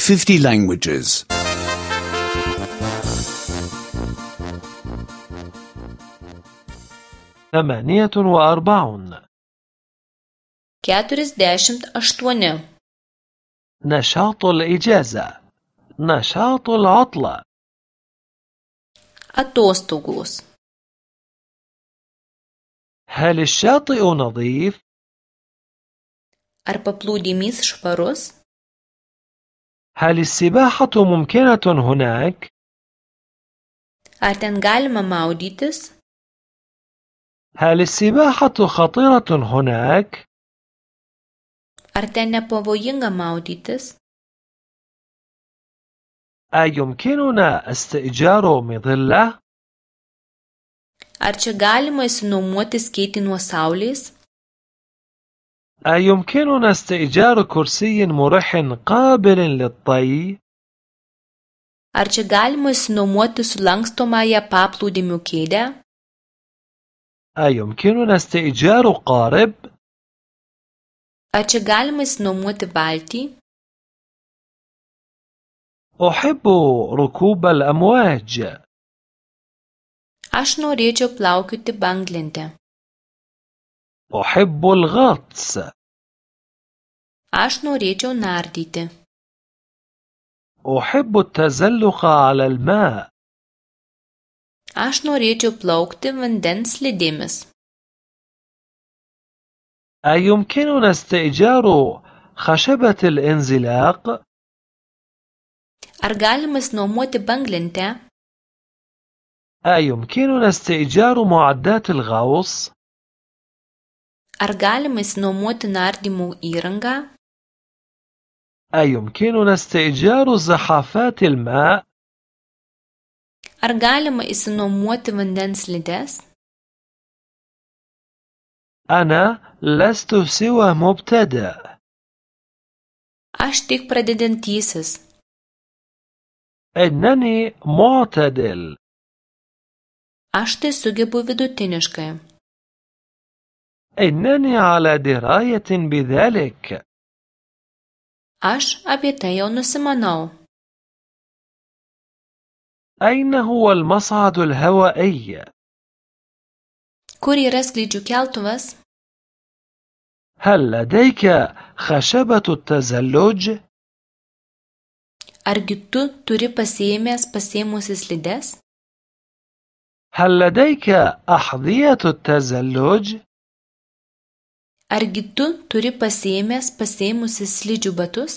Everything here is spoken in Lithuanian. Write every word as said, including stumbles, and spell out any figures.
fifty languages. ثمانية وأربعون. keturiasdešimt aštuoni. نشاط الإجازة. نشاط العطلة. atostogos. هل الشاطئ نظيف؟ Ar paplūdimys švarus? هل السباحة ممكنة هناك؟ Ar ten galima maudytis? هل السباحة خطيرة هناك؟ Ar ten nepavojinga maudytis? أيمكننا استئجار مظلة؟ Ar čia galima išsinuomoti skėtį nuo saulės? أيمكننا استئجار كرسي مريح قابل للطي؟ Ar čia galima išsinuomoti sulankstomąją paplūdimio kėdę? أيمكننا استئجار قارب؟ Ar čia galima išsinuomoti valtį? أحب ركوب الأمواج. Aš norėčiau plaukioti banglente. أحب الغطس. Aš norėčiau nardyti. أحب التزلق على الماء. Aš norėčiau plaukti vandens slidėmis. أيمكننا استئجار خشبة الانزلاق؟ Ar galima išsinuomoti banglentę? أيمكننا استئجار معدات الغوص؟ Ar galima išsinuomoti nardymo įrangą? أيمكننا استئجار زحافات الماء؟ Ar galima išsinuomoti vandens slides? أنا لست سوى مبتدئ. Aš tik pradedantysis. إنني معتدل. Aš tai sugebu vidutiniškai. إنني على دراية بذلك. Aš apie tai jau nusimanau. أين هو المصعد الهوائي؟ Kur yra skrydžių keltuvas? هل لديك خشبة التزلج؟ Argi tu turi pasiėmęs pasiėmusi slides? هل لديك أحذية التزلج؟ Argi tu turi pasiėmęs pasiėmusi slidžių batus?